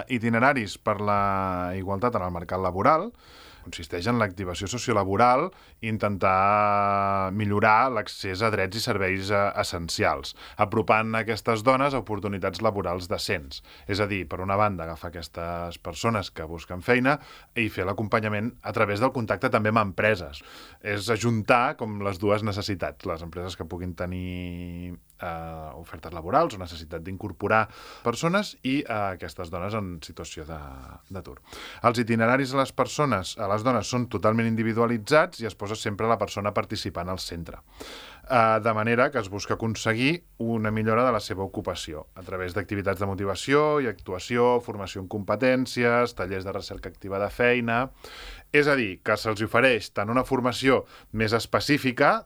Itineraris per la igualtat en el mercat laboral consisteix en l'activació sociolaboral i intentar millorar l'accés a drets i serveis essencials, apropant aquestes dones a oportunitats laborals decents. És a dir, per una banda, agafar aquestes persones que busquen feina i fer l'acompanyament a través del contacte també amb empreses. És ajuntar com les dues necessitats, les empreses que puguin tenir ofertes laborals o necessitat d'incorporar persones i aquestes dones en situació d'atur. Els itineraris a les dones són totalment individualitzats i es posa sempre la persona participant al centre. De manera que es busca aconseguir una millora de la seva ocupació a través d'activitats de motivació i actuació, formació en competències, tallers de recerca activa de feina. És a dir, que se'ls ofereix tant una formació més específica